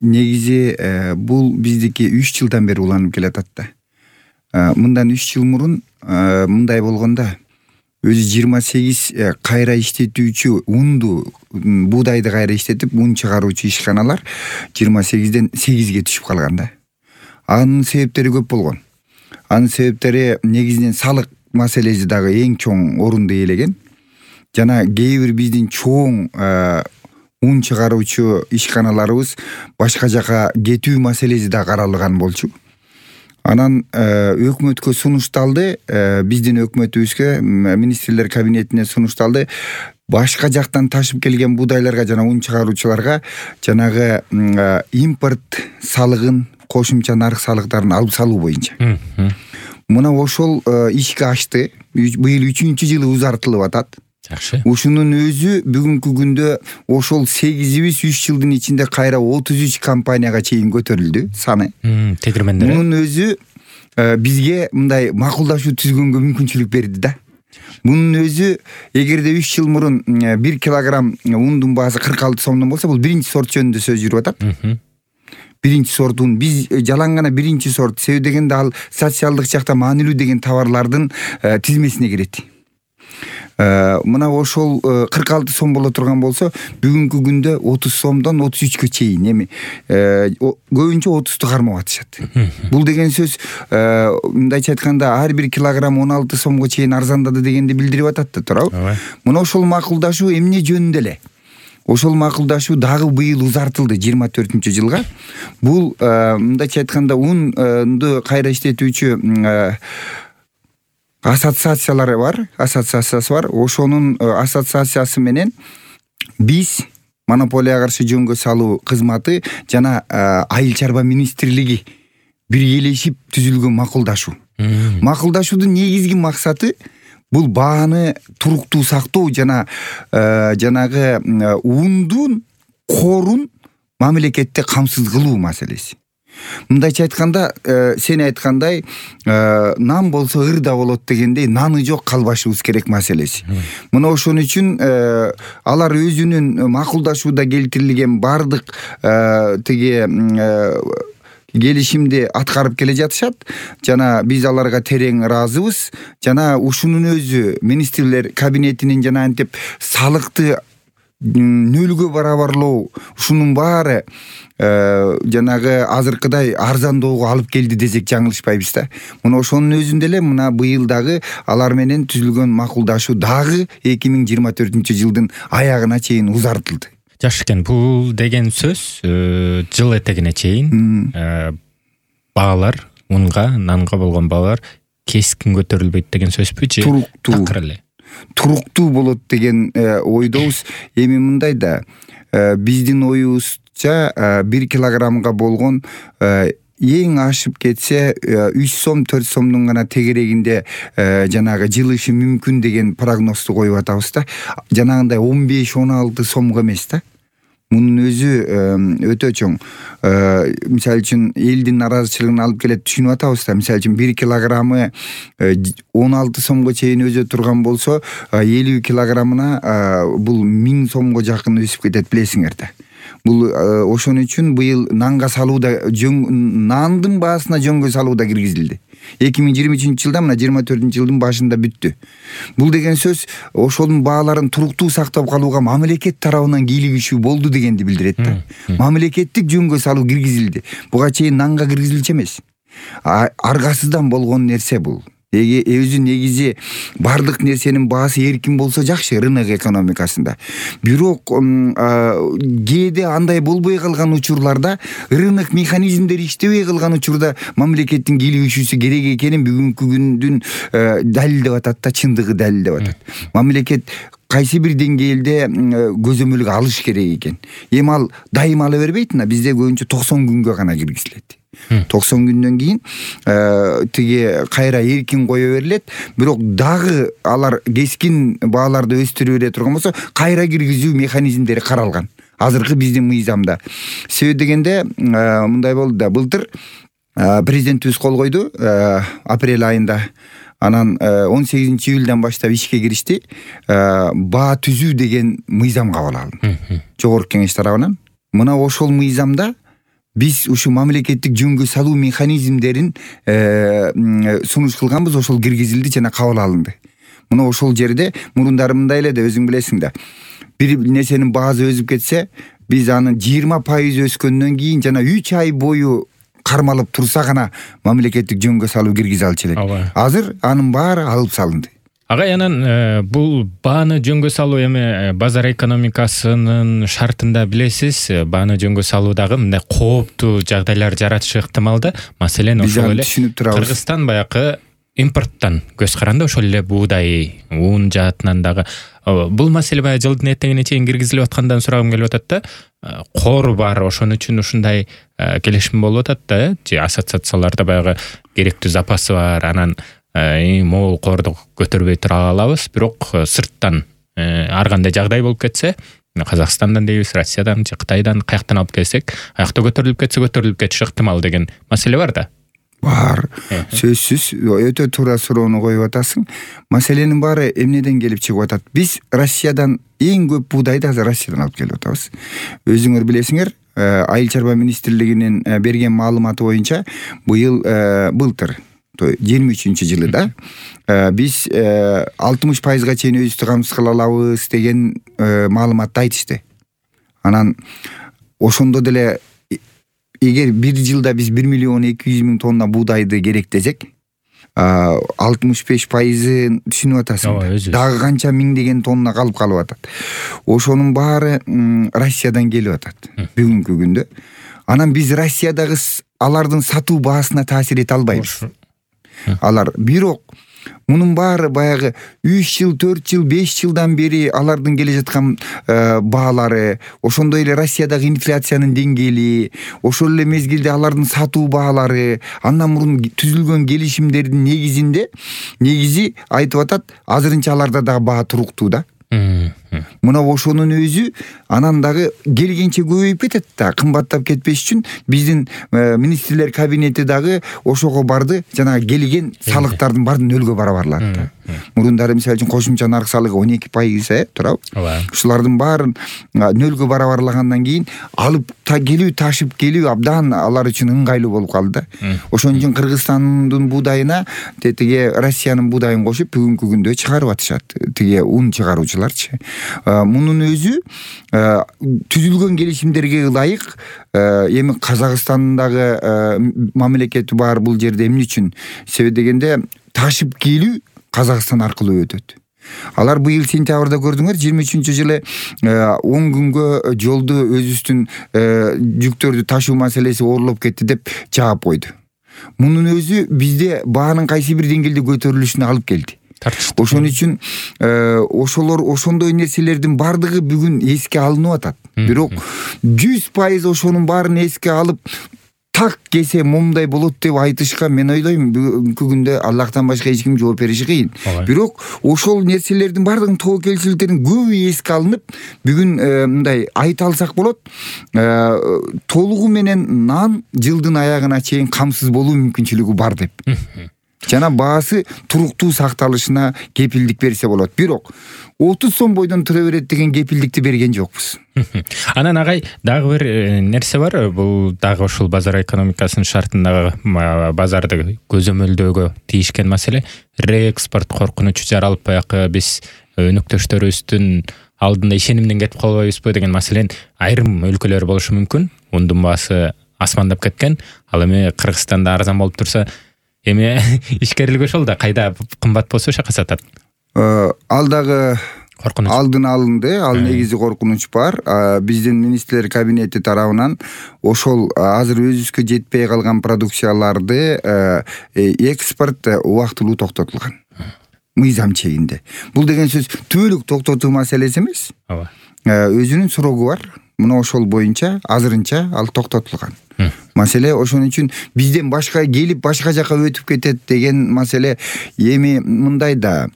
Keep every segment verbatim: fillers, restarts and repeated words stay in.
негизи бул биздики үч жылдан бери уланып келатат да. Мындан үч жыл мурун мындай болгондо өзү жыйырма сегиз кайра иштетүүчү унду, буудайды кайра иштетип ун чыгаруучу ишканалар жыйырма сегизден сегизге түшүп калган да. Анын себептери көп болгон. Анын себептери негизинен салык маселеси дагы эң чоң орунду ээлеген. Жана кээ бир биздин чоң ун чыгаруучу ишканаларыбыз башка жака кетүү маселеси да каралган болчу. Анан өкмөткө сунушталды, биздин өкмөтүбүзгө, министрлер кабинетине сунушталды. Башка жактан ташып келген буудайларга жана ун чыгаруучуларга жанагы импорт салыгын, кошумча нарык салыктарын алып салуу боюнча. Мына ошол ишке ашты. Быйыл үчүнчү жылы узартылып атат. Жакшы. Ушунун өзү бүгүнкү күндө ошол сегизибиз үч жылдын ичинде кайра отуз үч компанияга чейин көтөрүлдү саны. Тегирмендер. Мунун өзү бизге мындай макулдашуу түзгөнгө мүмкүнчүлүк берди да. Мунун өзү эгерде үч жыл мурун бир килограмм ундун баасы кырк алты сомдон болсо, бул биринчи сорт жөнүндө сөз жүрүп атат. Биринчи сортун биз жалаң гана биринчи сорт, себеби дегенде ал социалдык жакта маанилүү деген товарлардын тизмесине кирет. Мына ошол кырк алты сом боло турган болсо, бүгүнкү күндө отуз сомдон отуз үчкө чейин, эми көбүнчө отузду кармап атышат. Бул деген сөз мындайча айтканда ар бир килограмм он алты сомго чейин арзандады дегенди билдирип атат да, туурабы? Мына ошол макулдашуу эмне жөнүндө эле? Ошол макулдашуу дагы быйыл узартылды жыйырма төртүнчү жылга. Бул мындайча айтканда унду кайра иштетүүчү ассоциациялары бар, ассоциациясы бар. Ошонун ассоциациясы менен биз монополияга каршы жөнгө салуу кызматы жана айыл чарба министрлиги биргелешип түзүлгөн макулдашуу. Макулдашуудун негизги максаты бул бааны туруктуу сактоо жана жанагы ундун корун мамлекетте камсыз кылуу маселеси. Мындайча айтканда, сен айткандай, нан болсо ырда болот дегендей, наны жок калбашыбыз керек маселеси. Мына ошон үчүн алар өзүнүн макулдашууда келтирилген бардык тиги келишимди аткарып келе жатышат. Жана биз аларга терең ыраазыбыз. Жана ушунун өзү министрлер кабинетинин жана антип салыкты нөлгө барабарлоо, ушунун баары жанагы азыркыдай арзандоого алып келди десек жаңылышпайбыз да. Мына ошонун өзүндө эле мына быйыл дагы алар менен түзүлгөн макулдашуу дагы эки миң жыйырма төртүнчү жылдын аягына чейин узартылды. Жакшы экен. Бул деген сөз жыл этегине чейин баалар, унга, нанга болгон баалар кескин көтөрүлбөйт деген сөзбү же? Туруктуу. Такыр эле. Туруктуу болот деген ойдобуз. Эми мындай да, биздин оюбузча бир килограммга болгон эң ашып кетсе үч сом, төрт сомдун гана тегерегинде жанагы жылышы мүмкүн деген прогнозду коюп атабыз да. Жанагындай он беш он алты сомго эмес да. Мунун өзү өтө чоң. Мисалы үчүн элдин наразычылыгын алып келет, түшүнүп атабыз да. Мисалы үчүн бир килограммы он алты сомго чейин өзө турган болсо, элүү килограммына бул миң сомго жакын өсүп кетет, билесиңер да. Бул ошон үчүн быйыл нанга салууда, нандын баасына жөнгө салууда киргизилди. эки миң жыйырма үчүнчү жылда, мына жыйырма төртүнчү жылдын башында бүттү. Бул деген сөз ошонун бааларын туруктуу сактап калууга мамлекет тарабынан кийлигишүү болду дегенди билдирет да. Мамлекеттик жөнгө салуу киргизилди. Буга чейин нанга киргизилчү эмес. Аргасыздан болгон нерсе бул. Эге өзү негизи бардык нерсенин баасы эркин болсо жакшы рынок экономикасында. Бирок кээде андай болбой калган учурларда, рынок механизмдери иштебей калган учурда мамлекеттин кийлигишүүсү керек экенин бүгүнкү күндүн далилдеп атат да, чындыгы далилдеп атат. Мамлекет кайсы бир деңгээлде көзөмөлгө алыш керек экен. Эми ал дайыма ала бербейт, бизде көбүнчө токсон күнгө гана киргизилет. токсон күндөн кийин тиги кайра эркин кое берилет. Бирок дагы алар кескин бааларды өстүрө бере турган болсо, кайра киргизүү механизмдери каралган азыркы биздин мыйзамда. Себеби дегенде мындай болду да, былтыр президентибиз кол койду апрель айында. Анан он сегизинчи июлдан баштап ишке киришти. Баа түзүү деген мыйзам кабыл алынды. Жогорку кеңеш тарабынан. Мына ошол мыйзамда биз ушу мамлекеттик жөнгө салуу механизмдерин сунуш кылганбыз, ошол киргизилди жана кабыл алынды. Мына ошол жерде мурундары мындай эле да, өзүң билесиң да. Бир нерсенин баасы өсүп кетсе, биз анын жыйырма пайыз өскөндөн кийин жана үч ай бою кармалып турса гана мамлекеттик жөнгө салуу киргизе алчу элек. Азыр анын баары алып салынды. Агай, анан бул бааны жөнгө салуу эми базар экономикасынын шартында билесиз, бааны жөнгө салуу дагы мындай кооптуу жагдайлар жаратышы ыктымал да. Маселен ошол эле Кыргызстан баягы импорттон көз каранды, ошол эле буудай, ун жаатынан дагы. Бул маселе баягы жылдын этегине чейин киргизилип аткандан сурагым келип атат да. Кор бар, ошон үчүн ушундай келишим болуп атат да, же ассоциацияларда баягы керектүү запасы бар, анан могул корду көтөрбөй тура алабыз, бирок сырттан ар кандай жагдай болуп кетсе, Казакстандан дейбиз, Россиядан же Кытайдан каяктан алып келсек, аякта көтөрүлүп кетсе көтөрүлүп кетиши ыктымал деген маселе бар да. Бар. Сөзсүз өтө туура суроону коюп атасың. Маселенин баары эмнеден келип чыгып атат? Биз Россиядан эң көп буудайды азыр Россиядан алып келип атабыз. Өзүңөр билесиңер, Айыл чарба министрлигинин берген маалыматы боюнча быйыл былтыр жыйырма үчүнчү жылы да биз алтымыш пайызга чейин өзүбүздү камсыз кыла алабыз деген маалыматты айтышты. Анан ошондо деле эгер бир жылда биз бир миллион эки жүз миң тонна буудайды керектесек, алтымыш беш пайызын түшүнүп атасың. Дагы канча миңдеген тонна калып калып атат. Ошонун баары Россиядан келип атат бүгүнкү күндө. Анан биз Россиядагы алардын сатуу баасына таасир эте албайбыз. Алар бирок мунун баары баягы үч жыл, төрт жыл, беш жылдан бери алардын келе жаткан баалары, ошондой эле Россиядагы инфляциянын деңгээли, ошол эле мезгилде алардын сатуу баалары, андан мурун түзүлгөн келишимдердин негизинде негизи айтып атат, азырынча аларда дагы баа туруктуу да. Мына ошонун өзү анан дагы келгенче көбөйүп кетет да, кымбаттап кетпеш үчүн биздин министрлер кабинети дагы ошого барды, жана келген салыктардын баарын нөлгө барабарлады да. Мурундары мисалы үчүн кошумча нарк салыгы он эки пайыз э турабы? Ушулардын баарын нөлгө барабарлагандан кийин алып та келүү, ташып келүү абдан алар үчүн ыңгайлуу болуп калды да. Ошон үчүн Кыргызстандын буудайына тетиге Россиянын буудайын кошуп бүгүнкү күндө чыгарып атышат. Тиге ун чыгаруучуларчы. Мунун өзү түзүлгөн келишимдерге ылайык, эми Казакстандагы мамлекети бар бул жерде эмне үчүн? Себеби дегенде ташып келүү Казакстан аркылуу өтөт. Алар быйыл сентябрда көрдүңөр, жыйырма үчүнчү жылы он күнгө жолду өзүбүздүн жүктөрдү ташуу маселеси оорлоп кетти деп жаап койду. Мунун өзү бизде баанын кайсы бир деңгээлде көтөрүлүшүнө алып келди. Ошон үчүн ошолор ошондой нерселердин бардыгы бүгүн эске алынып атат. Бирок жүз пайыз ошонун баарын эске алып так кесе момундай болот деп айтышка мен ойлойм бүгүнкү күндө Аллахтан башка эч ким жооп бериши кыйын. Бирок ошол нерселердин бардыгын тобокелчиликтердин көбү эске алынып, бүгүн мындай айта алсак болот, толугу менен нан жылдын аягына чейин камсыз болуу мүмкүнчүлүгү бар деп. Жана баасы туруктуу сакталышына кепилдик берсе болот. Бирок отуз сом бойдон тура берет деген кепилдикти берген жокпуз. Анан агай, дагы бир нерсе бар, бул дагы ушул базар экономикасынын шартындагы базарды көзөмөлдөөгө тийишкен маселе, реэкспорт коркунучу жаралып баягы биз өнөктөштөрүбүздүн алдында ишенимден кетип калбайбызбы деген маселен айрым өлкөлөр болушу мүмкүн. Ундун баасы асмандап кеткен. Ал эми Кыргызстанда арзан болуп турса, эми ишкерлик ошол да, кайда кымбат болсо ошака сатат. Ал дагы алдын алынды, ал негизи коркунуч бар. Биздин министрлер кабинети тарабынан ошол азыр өзүбүзгө жетпей калган продукцияларды экспорт убактылуу токтотулган. Мыйзам чегинде. Бул деген сөз түбөлүк токтотуу маселеси эмес. Ооба. Өзүнүн срогу бар. Мына ошол боюнча азырынча ал токтотулган. Маселе ошон үчүн бизден башка келип башка жака өтүп кетет деген маселе эми мындай да.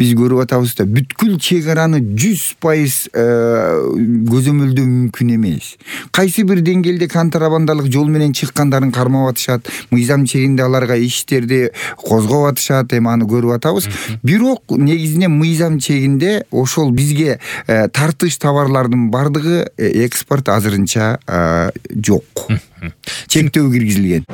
биз көрүп атабыз да бүткүл чек араны жүз пайыз көзөмөлдөө мүмкүн эмес. Кайсы бир деңгээлде контрабандалык жол менен чыккандарын кармап атышат, мыйзам чегинде аларга иштерди козгоп атышат, эми аны көрүп атабыз. Бирок негизинен мыйзам чегинде ошол бизге тартыш товарлардын бардыгы экспорт азырынча жок. Чектөө киргизилген.